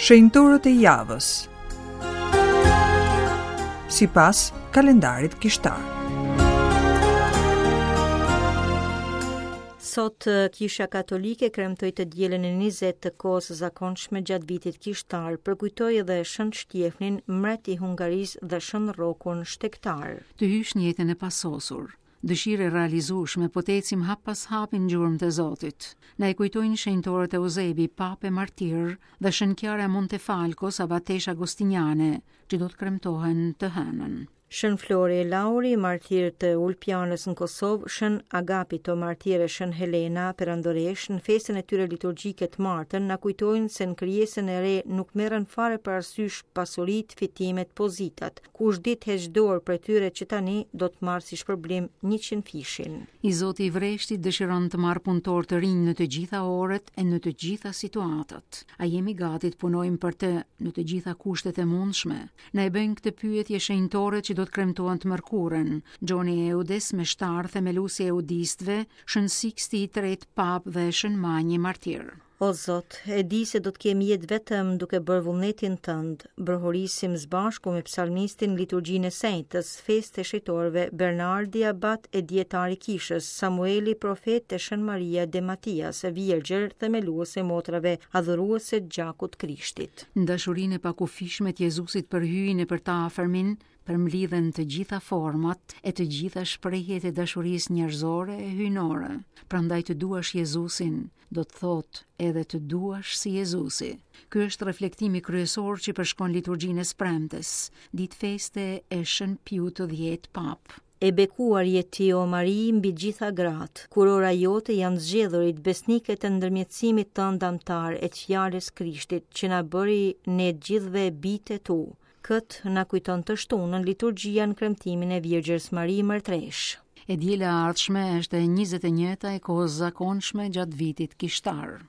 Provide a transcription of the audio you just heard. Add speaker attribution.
Speaker 1: Shenjtorët e javës. Sipas kalendarit kishtar.
Speaker 2: Sot Kisha Katolike kremtoi të dielën e 20 të kohës së zakonshme gjatë vitit kishtar, përkujtoi edhe Shën Shtjefnin, mbret i Hungarisë dhe Shën Rrokun shtegtar.
Speaker 3: Të hysh në jetën e pasosur, dëshirë e realizueshme, po të ecim hap pas hapi në gjurmët e Zotit. Na e kujtojnë shenjtorët Euzebi, papë e martir, dhe Shën Kiara e Montefalcos, abateshë agostiniane, që do të kremtohen të hënën.
Speaker 2: Shën Flori e Lauri, martirë të Ulpianës në Kosovë, Shën Agapito, martir e Shën Helena, perandoreshë, në festën e tyre liturgjike të martën, na kujtojnë se në krijesën e re nuk merren fare parasysh pasuritë, fitimet, pozitat. Kush di të heqë dorë prej tyre që tani, do të marrë si shpërblim njëqindfishin.
Speaker 3: I zoti i vreshtit dëshiron të marrë punëtorë të rinj në të gjitha orët e në të gjitha situatat. A jemi gati të punojmë për të në të gjitha kushtet e mundshme? Na e bëjnë këtë pyetje shenjtorët që do të kremtohen të mërkurën, Gjoni Eudes, meshtar, themelues i eudistëve, Shën Siksti i Tretë, Papë dhe Shën Manji, martir.
Speaker 2: O Zot, e di se do të kem jetë vetëm duke bërë vullnetin tënd. Brohorisim së bashku me psalmistin liturgjinë e së enjtes, festë e shenjtorëve Bernardi abat e dijetar i kishës, Samueli profet e Shën Maria de Matias, virgjër, themeluese e motrave adhuruese të gjakut të Krishtit.
Speaker 3: Në dashurinë e pakufishme të Jezusit për Hyjin e për të afërmin, përmblidhen të gjitha format e të gjitha shprehjet e dashurisë njerëzore e hyjnore. Prandaj të duash Jezusin, do të thotë edhe të duash si Jezusi. Ky është reflektimi kryesor që përshkon liturgjinë e së premtes, ditë feste e Shën Piut të Dhjetë Papë.
Speaker 2: E bekuar je ti, o Mari, mbi gjitha gratë, kurora jote janë zgjedhurit besnike të ndërmjetësimit tënd amtar e të fjalës Krishtit, që na bëri ne të gjithëve bijtë e tu. Këtë na kujton të shtunën liturgjia në kremtimin e Virgjërs Mari Mërtreshë.
Speaker 3: E diela e ardhshme është e 21-ta e kohës zakonshme gjatë vitit kishtar.